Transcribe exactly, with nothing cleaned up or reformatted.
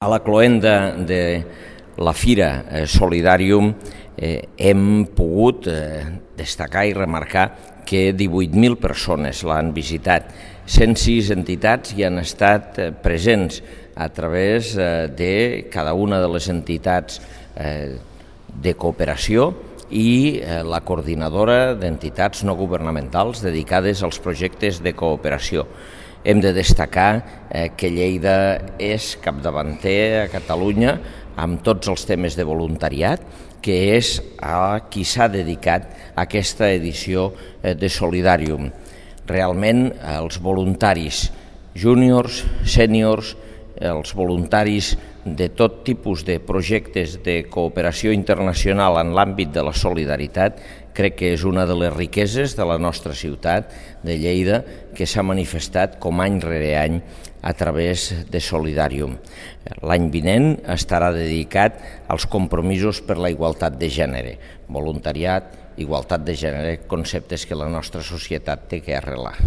A la cloenda de la Fira Solidàrium eh, hem pogut eh, destacar i remarcar que divuit mil persones l'han visitat. cent sis entitats hi han estat eh, presents a través eh, de cada una de les entitats eh, de cooperació i eh, la coordinadora d'entitats no governamentals dedicades als projectes de cooperació. Hem de destacar eh, que Lleida és capdavanter a Catalunya amb tots els temes de voluntariat, que és a qui s'ha dedicat a aquesta edició eh, de Solidàrium. Realment, els voluntaris júniors, sèniors, els voluntaris de tot tipus de projectes de cooperació internacional en l'àmbit de la solidaritat, crec que és una de les riqueses de la nostra ciutat de Lleida que s'ha manifestat com any rere any a través de Solidàrium. L'any vinent estarà dedicat als compromisos per la igualtat de gènere, voluntariat, igualtat de gènere, conceptes que la nostra societat té que arrelar.